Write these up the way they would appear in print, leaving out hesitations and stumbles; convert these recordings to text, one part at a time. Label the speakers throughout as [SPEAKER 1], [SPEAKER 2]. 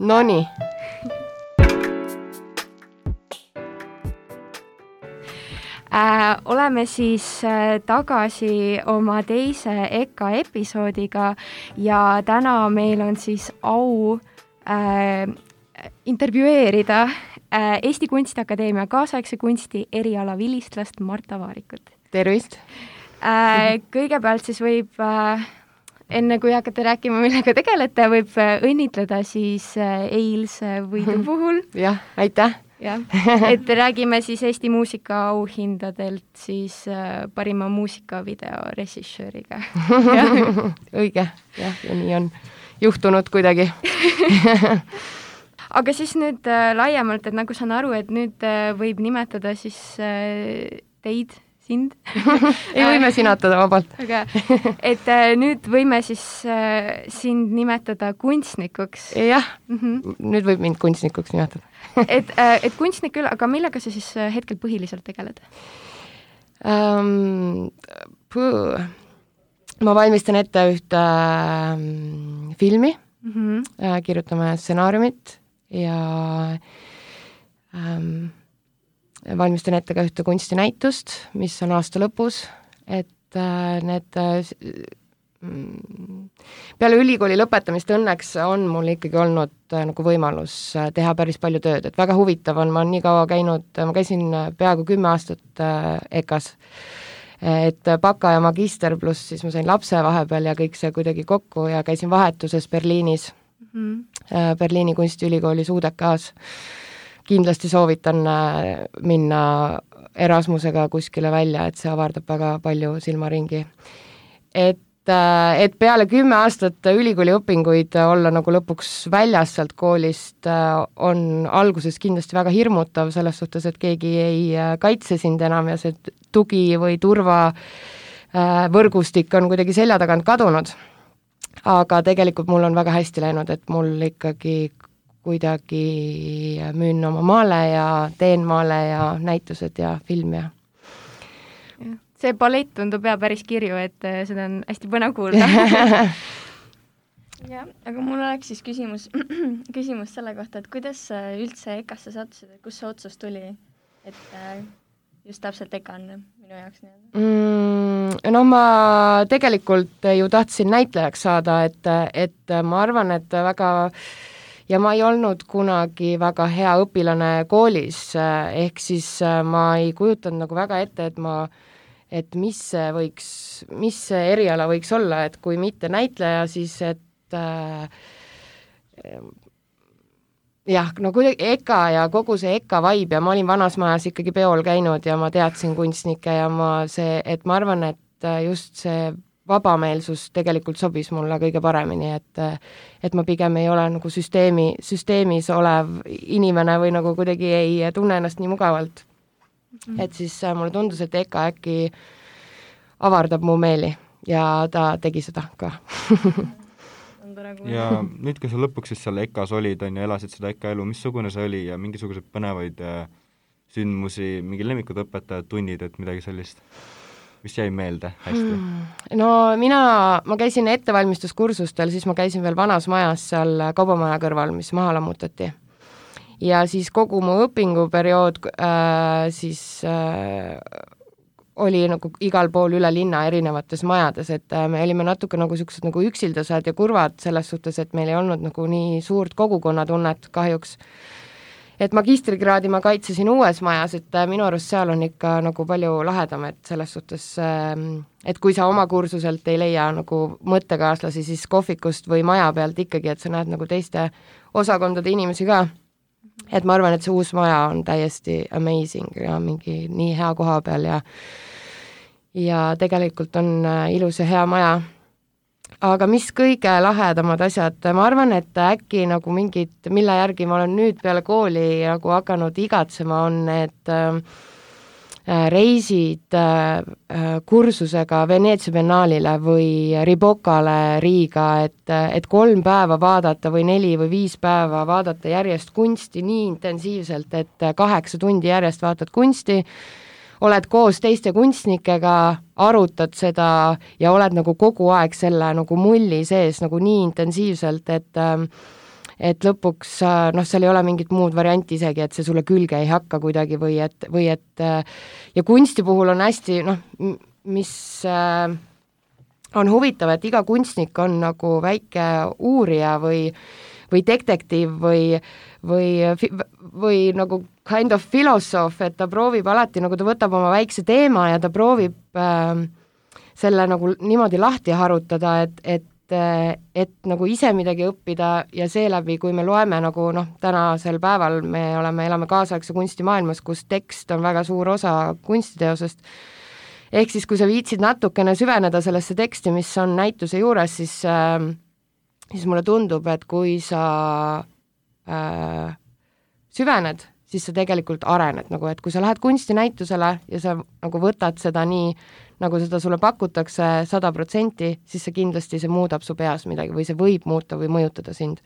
[SPEAKER 1] Nonii.
[SPEAKER 2] Oleme siis tagasi oma teise EKA episoodiga ja täna meil on siis au intervjueerida Eesti Kunstiakadeemia kaasaegse kunsti eriala vilistlast Marta Vaarikut.
[SPEAKER 1] Tervist!
[SPEAKER 2] Kõigepealt siis võib, enne kui hakata rääkima, millega tegelete, võib õnnitleda siis eilse võidu puhul.
[SPEAKER 1] Jah, aitäh!
[SPEAKER 2] Jah, et räägime siis Eesti muusikaauhindadelt siis parima muusikavideo režissööriga.
[SPEAKER 1] Õige, jah, ja nii on juhtunud kuidagi.
[SPEAKER 2] Aga siis nüüd laiemalt, et nagu saan aru, et nüüd võib nimetada siis teid, sind.
[SPEAKER 1] Ei võime sinatada vabalt.
[SPEAKER 2] Aga, et nüüd võime siis sind nimetada kunstnikuks.
[SPEAKER 1] Jah, nüüd võib mind kunstnikuks nimetada.
[SPEAKER 2] et kunstnik küll, aga millega sa siis hetkel põhiliselt tegeled?
[SPEAKER 1] Ma valmistan ette ühte filmi, kirjutame stsenaariumit ja valmistan ette ka ühte kunstinäitust, mis on aasta lõpus, et need peale ülikooli lõpetamist õnneks on mul ikkagi olnud nagu võimalus teha päris palju tööd, et väga huvitav on, ma olen nii kaua käinud, ma käisin peaaegu 10 aastat EKAs, et baka ja magister pluss siis ma sain lapse vahepeal ja kõik see kuidagi kokku ja käisin vahetuses Berliinis, Berliini kunstiülikoolis UDK-s. Kindlasti soovitan minna Erasmusega kuskile välja, et see avardab väga palju silmaringi. Et peale 10 aastat ülikooli õpinguid olla nagu lõpuks väljas sealt koolist on alguses kindlasti väga hirmutav selles suhtes, et keegi ei kaitse sind enam ja see tugi või turva võrgustik on kuidagi selja tagant kadunud. Aga tegelikult mul on väga hästi läinud, et mul ikkagi kuidagi müün oma maale ja teen maale ja näitused ja film ja
[SPEAKER 2] see ballett tundub päris kirju, et seda on hästi põnev kuulda.
[SPEAKER 3] Ja, aga mul oleks siis küsimus selle kohta, et kuidas üldse EKA-sse sattusid, et kus see otsus tuli, et just täpselt EKA on minu jaoks nii-öelda?
[SPEAKER 1] No ma tegelikult ju tahtsin näitlejaks saada, et ma arvan, et väga ja ma ei olnud kunagi väga hea õpilane koolis, ehk siis ma ei kujutanud nagu väga ette, et mis see eriala võiks olla, et kui mitte näitleja, siis et jah, no kuidagi EKA ja kogu see EKA vibe ja ma olin vanas majas ikkagi peol käinud ja ma teadsin kunstnikke ja ma arvan, et just see vabameelsus tegelikult sobis mulle kõige paremini, et ma pigem ei ole nagu süsteemis olev inimene või nagu kuidagi ei tunne ennast nii mugavalt. Et siis mulle tundus, et EKA äkki avardab mu meeli ja ta tegi seda ka.
[SPEAKER 4] Ja nüüd, kui sa lõpuks siis seal EKAs olid ja elasid seda EKA elu, missugune see oli ja mingisugused põnevaid sündmusi, mingi lemmikud õpetajad, tunnid, et midagi sellist, mis jäi meelde hästi?
[SPEAKER 1] No ma käisin ettevalmistuskursustel, siis ma käisin veel vanas majas seal kaubamaja kõrval, mis maha lammutati. Ja siis kogu mu õpinguperiood siis oli nagu igal pool üle linna erinevates majades, et me olime natuke nagu sellised nagu üksildased ja kurvad selles suhtes, et meil ei olnud nagu nii suurt kogukonnatunnet kahjuks. Et magistrikraadi ma kaitsesin uues majas, et minu arust seal on ikka nagu palju lahedam, et selles suhtes, et kui sa oma kursuselt ei leia nagu mõttekaaslasi, siis kohvikust või maja pealt ikkagi, et sa näed nagu teiste osakondade inimesi ka. Et ma arvan, et see uus maja on täiesti amazing ja mingi nii hea koha peal ja tegelikult on ilus ja hea maja. Aga mis kõige lahedamad asjad, ma arvan, et äkki nagu mingid, mille järgi ma olen nüüd peale kooli nagu hakanud igatsema, on need reisid kursusega Veneetsia biennaalile või Ribocale Riiga, et 3 päeva vaadata või 4 või 5 päeva vaadata järjest kunsti nii intensiivselt, et 8 tundi järjest vaatad kunsti, oled koos teiste kunstnikega, arutad seda ja oled nagu kogu aeg selle nagu mulli sees nagu nii intensiivselt, et lõpuks seal ei ole mingit muud varianti isegi, et see sulle külge ei hakka kuidagi või et ja kunsti puhul on hästi, mis on huvitav, et iga kunstnik on nagu väike uurija või detektiiv või nagu kind of philosoph, et ta proovib alati, nagu ta võtab oma väikse teema ja ta proovib selle nagu niimoodi lahti harutada, et nagu ise midagi õppida ja seeläbi, kui me loeme nagu tänasel päeval me elame kaasaegse kunstimaailmas, kus tekst on väga suur osa kunstiteosest, ehk siis kui sa viitsid natukene süveneda sellesse teksti, mis on näituse juures, siis mulle tundub, et kui sa süvened, siis sa tegelikult arened, nagu et kui sa lähed kunstinäitusele ja sa nagu võtad seda nii, nagu seda sulle pakutakse 100%, siis see kindlasti see muudab su peas midagi või see võib muuta või mõjutada sind.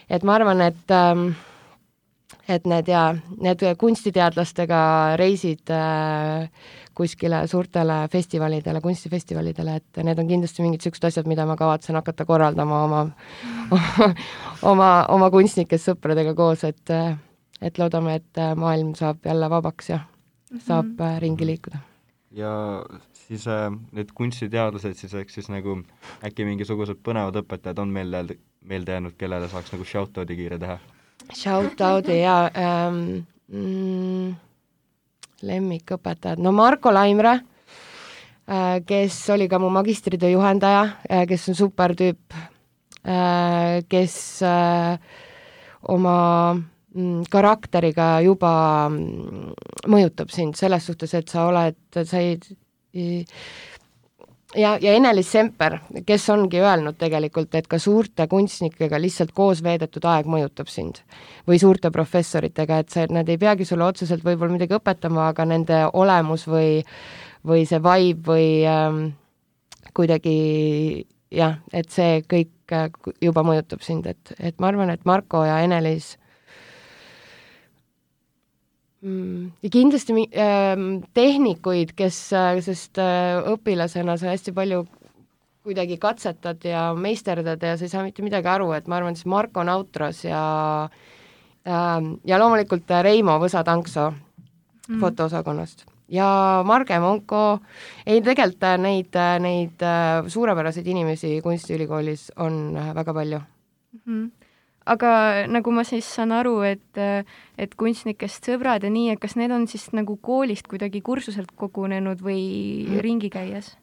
[SPEAKER 1] Et ma arvan, et need kunstiteadlastega reisid kuskile suurtele festivalidele, kunstifestivalidele, et need on kindlasti mingid sellised asjad, mida ma kavatsen hakata korraldama oma kunstnikest sõpradega koos, et loodame, et maailm saab jälle vabaks ja saab ringi liikuda.
[SPEAKER 4] Ja siis need kunstiteadlased siis, ehk siis nagu äkki mingisugused põnevad õpetajad on meelde jäänud, kellele saaks nagu shout-out'i kiire teha?
[SPEAKER 1] Shout-out'i ja lemmikõpetajad, Marko Laimre, kes oli ka mu magistritöö juhendaja, kes on super tüüp, kes oma karakteriga juba mõjutab sind selles suhtes, et ja Ene-Liis Semper, kes ongi öelnud tegelikult, et ka suurte kunstnikega lihtsalt koos veedetud aeg mõjutab sind või suurte professoritega, et nad ei peagi sulle otseselt võib-olla midagi õpetama, aga nende olemus või see vibe või kuidagi jah, et see kõik juba mõjutab sind, et ma arvan, et Marko ja Ene-Liis ja kindlasti tehnikuid, sest õpilasena sa hästi palju kuidagi katsetad ja meisterdad ja sa ei saa mitte midagi aru, et ma arvan, siis Marko Nautros ja loomulikult Reimo Võsa-Tankso fotoosakonnast ja Marge Monko, tegelikult neid suurepäraseid inimesi kunstiülikoolis on väga palju.
[SPEAKER 2] Aga nagu ma siis saan aru, et kunstnikest sõbrad ja nii, et kas need on siis nagu koolist kuidagi kursuselt kogunenud või ringi käies?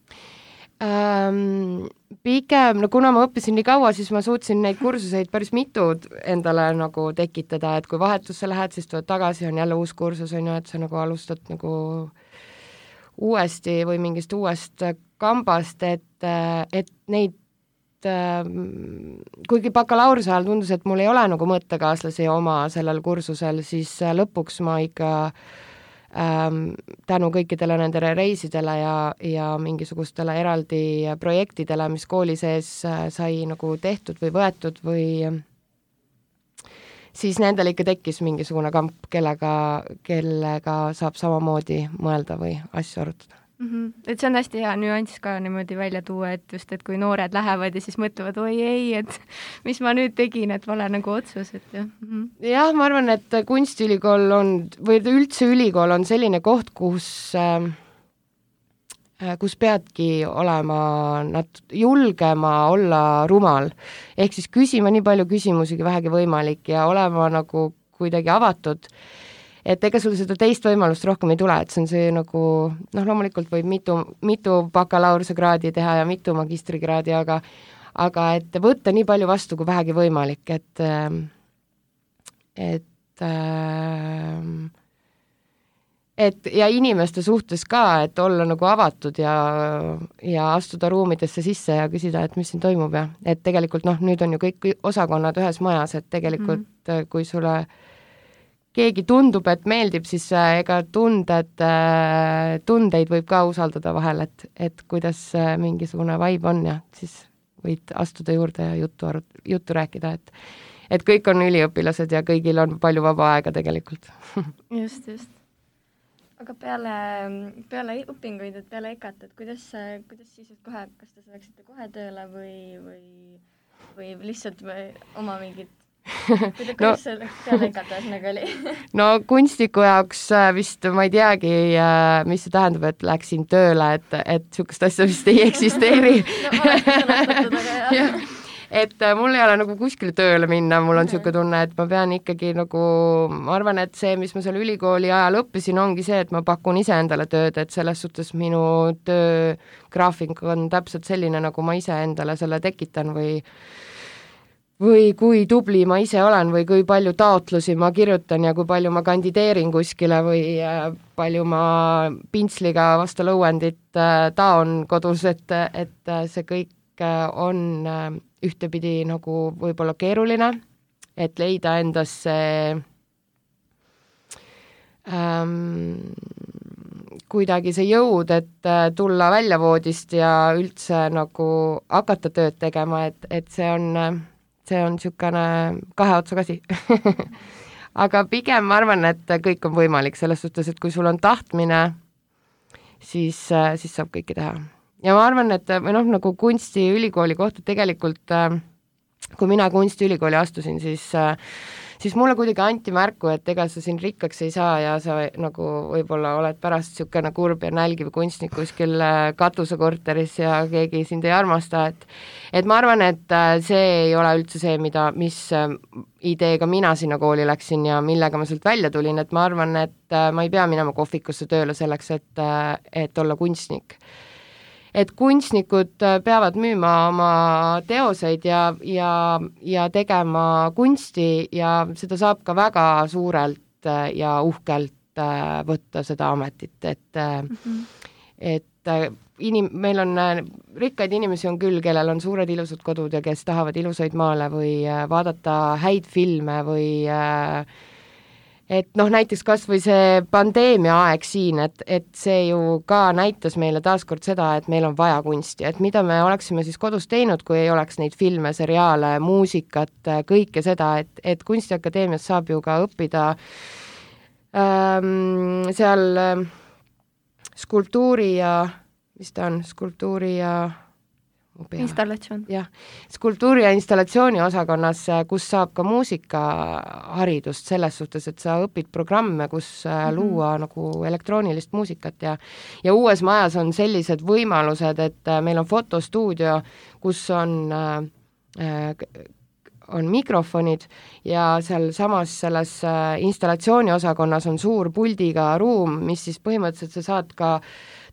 [SPEAKER 1] Pigem, kuna ma õppisin nii kaua, siis ma suutsin neid kursuseid päris mitu endale nagu tekitada, et kui vahetusse lähed, siis tuled tagasi, on jälle uus kursus, on ju, et sa nagu alustad nagu uuesti või mingist uuest kambast, et neid kuigi bakalaureuse ajal tundus, et mul ei ole nagu mõttekaaslasi oma sellel kursusel, siis lõpuks ma ikka tänu kõikidele nendele reisidele ja mingisugustele eraldi projektidele, mis kooli sees sai nagu tehtud või võetud või siis nendel ikka tekkis mingisugune kamp, kellega saab samamoodi mõelda või asju arutada.
[SPEAKER 2] Et see on hästi hea nüanss ka niimoodi välja tuua, et just, et kui noored lähevad ja siis mõtlevad, oi ei, et mis ma nüüd tegin, et vale nagu otsus, et jah.
[SPEAKER 1] Jah, ma arvan, et kunstiülikool on, või üldse ülikool on selline koht, kus peadki olema julgema olla rumal. Ehk siis küsima nii palju küsimusi, kui vähegi võimalik ja olema nagu kuidagi avatud. Et ega sul seda teist võimalust rohkem ei tule, et see on see nagu, loomulikult võib mitu bakalaureuse kraadi teha ja mitu magistrikraadi, aga et võtta nii palju vastu, kui vähegi võimalik, et ja inimeste suhtes ka, et olla nagu avatud ja astuda ruumidesse sisse ja küsida, et mis siin toimub ja et tegelikult nüüd on ju kõik osakonnad ühes majas, et tegelikult kui sulle keegi tundub, et meeldib, siis ega tundeid võib ka usaldada vahel, et kuidas mingisugune vibe on ja siis võid astuda juurde ja juttu rääkida, et kõik on üliõpilased ja kõigil on palju vaba aega tegelikult.
[SPEAKER 2] Just.
[SPEAKER 3] Aga peale õpinguid, et peale EKA-t, et kuidas siis, et kas te läksite kohe tööle või lihtsalt oma mingid kuidas see peale EKT nagu oli?
[SPEAKER 1] No kunstniku jaoks vist ma ei teagi, mis see tähendab, et läksin tööle, et sihukest asja vist ei eksisteeri.
[SPEAKER 3] No olekki sõnastatud, aga jah.
[SPEAKER 1] Et mul ei ole nagu kuskile tööle minna, mul on sihuke tunne, et ma pean ikkagi nagu, ma arvan, et see, mis ma seal ülikooli ajal õppisin, ongi see, et ma pakun ise endale tööd, et selles suhtes minu töögraafik on täpselt selline, nagu ma ise endale selle tekitan või kui tubli ma ise olen või kui palju taotlusi ma kirjutan ja kui palju ma kandideerin kuskile või palju ma pintsliga vastu lõuendit taon kodus, et see kõik on ühtepidi nagu võib-olla keeruline, et leida endasse kuidagi see jõud, et tulla väljavoodist ja üldse nagu hakata tööd tegema, et see on niisugune kahe otsaga asi. Aga pigem ma arvan, et kõik on võimalik selles suhtes, et kui sul on tahtmine, siis saab kõike teha. Ja ma arvan, et nagu kunstiülikooli kohta tegelikult, kui mina kunstiülikooli astusin, siis mulle kuidagi anti märku, et ega sa siin rikkaks ei saa ja sa nagu võib-olla oled pärast niisugune kurb ja nälgiv kunstnik kuskil katusekorteris ja keegi sind ei armasta, et ma arvan, et see ei ole üldse see, mis ideega mina sinna kooli läksin ja millega ma sealt välja tulin, et ma arvan, et ma ei pea minema kohvikusse tööle selleks, et olla kunstnik. Et kunstnikud peavad müüma oma teoseid ja tegema kunsti ja seda saab ka väga suurelt ja uhkelt võtta seda ametit, et meil on rikkaid inimesi on küll, kellel on suured ilusad kodud ja kes tahavad ilusaid maale või vaadata häid filme või et näiteks kas või see pandeemia aeg siin, et see ju ka näitas meile taaskord seda, et meil on vaja kunsti, et mida me oleksime siis kodus teinud, kui ei oleks neid filme, seriaale, muusikat, kõike seda, et Kunstiakadeemias saab ju ka õppida seal skulptuuri ja, mis ta on, skulptuuri ja
[SPEAKER 2] installatsioon.
[SPEAKER 1] Jah, skulptuuri ja installatsiooni osakonnas, kus saab ka muusikaharidust selles suhtes, et sa õpid programme, kus luua nagu elektroonilist muusikat ja uues majas on sellised võimalused, et meil on fotostuudio, kus on mikrofonid ja seal samas selles installatsiooni osakonnas on suur puldiga ruum, mis siis põhimõtteliselt sa saad ka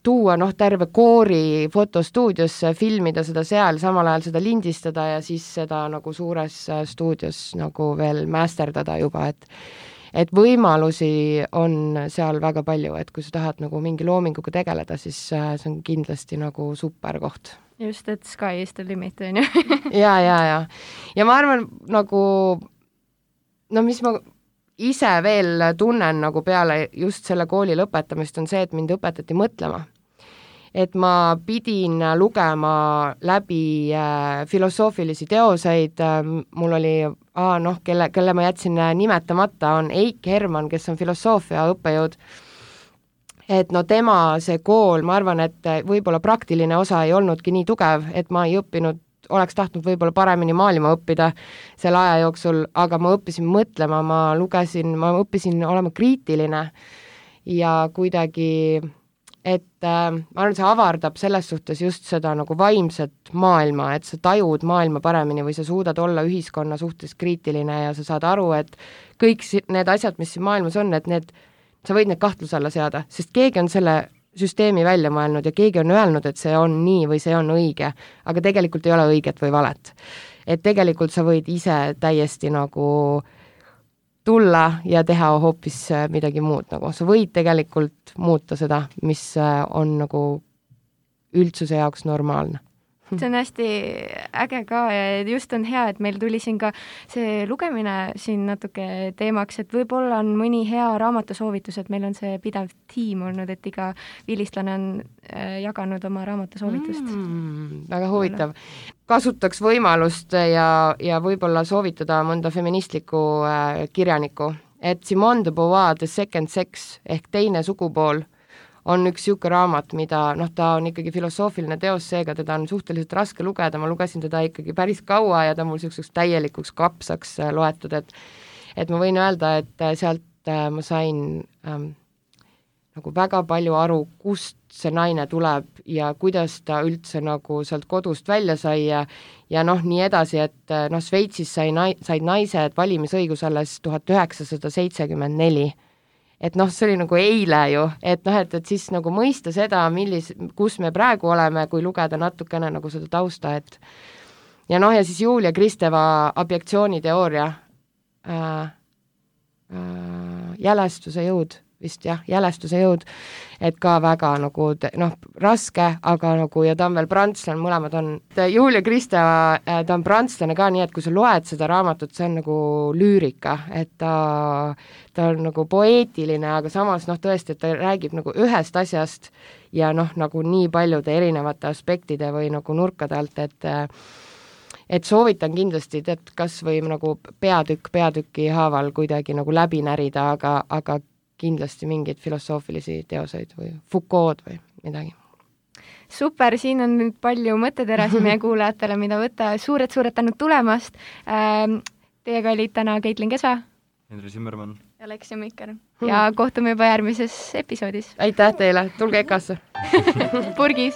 [SPEAKER 1] tuua terve koori fotostuudiosse, filmida seda seal, samal ajal seda lindistada ja siis seda nagu suures stuudios nagu veel masterdada juba, et võimalusi on seal väga palju, et kui sa tahad nagu mingi loominguga tegeleda, siis see on kindlasti nagu super koht.
[SPEAKER 2] Just, et sky is the limit, on ju.
[SPEAKER 1] Ja ma arvan nagu, mis ma ise veel tunnen nagu peale just selle kooli lõpetamist on see, et mind õpetati mõtlema. Et ma pidin lugema läbi filosoofilisi teoseid, mul oli, kelle ma jätsin nimetamata, on Eik Herman, kes on filosoofia õppejõud. Et tema see kool, ma arvan, et võib-olla praktiline osa ei olnudki nii tugev, et ma ei õppinud, oleks tahtnud võib-olla paremini maailma õppida selle aja jooksul, aga ma õppisin mõtlema, ma õppisin olema kriitiline ja kuidagi, et ma arvan, see avardab selles suhtes just seda nagu vaimset maailma, et sa tajud maailma paremini või sa suudad olla ühiskonna suhtes kriitiline ja sa saad aru, et kõik need asjad, mis siin maailmas on, et sa võid need kahtluse alla seada, sest keegi on selle süsteemi välja mõelnud ja keegi on öelnud, et see on nii või see on õige, aga tegelikult ei ole õiget või valet. Et tegelikult sa võid ise täiesti nagu tulla ja teha hoopis midagi muud, nagu sa võid tegelikult muuta seda, mis on nagu üldsuse jaoks normaalne.
[SPEAKER 2] See on hästi äge ka ja just on hea, et meil tuli siin ka see lugemine siin natuke teemaks, et võib-olla on mõni hea raamatusoovitus, et meil on see pidev tiim olnud, et iga vilistlane on jaganud oma raamatusoovitust.
[SPEAKER 1] Väga huvitav. Kasutaks võimalust ja võib-olla soovitada mõnda feministlikku kirjanikku, et Simone de Beauvoir The Second Sex ehk teine sugupool on üks niisugune raamat, mida ta on ikkagi filosoofiline teos, seega teda on suhteliselt raske lugeda, ma lugesin teda ikkagi päris kaua ja ta mul niisuguseks täielikuks kapsaks loetud, et ma võin öelda, et sealt ma sain nagu väga palju aru, kust see naine tuleb ja kuidas ta üldse nagu sealt kodust välja sai ja nii edasi, et Šveitsis said naised valimisõigus alles 1974. Et see oli nagu eile ju, et siis nagu mõista seda, kus me praegu oleme, kui lugeda natukene nagu seda tausta, et ja siis Julia Kristeva objektsiooniteooria, jälestuse jõud, vist jah, jälestuse jõud, et ka väga nagu raske, aga nagu ja ta on veel prantslane, mõlemad on. Julia Kristeva, ta on prantslane ka, nii et kui sa loed seda raamatut, see on nagu lüürika, et ta on nagu poeetiline, aga samas tõesti, et ta räägib nagu ühest asjast ja nagu nii paljude erinevate aspektide või nagu nurkade alt, et soovitan kindlasti, et kas või nagu peatüki haaval kuidagi nagu läbi närida, aga kindlasti mingeid filosoofilisi teoseid või Foucault või midagi.
[SPEAKER 2] Super, siin on nüüd palju mõtteterasid meie kuulajatele, mida võtta. Suured tänud tulemast. Teiega olid täna Caitlin Kesa,
[SPEAKER 4] Henri Zimmermann
[SPEAKER 3] ja Alexia Mikker.
[SPEAKER 2] Ja kohtume juba järgmises episoodis.
[SPEAKER 1] Aitäh teile, tulge EKA-sse!
[SPEAKER 2] Purgis!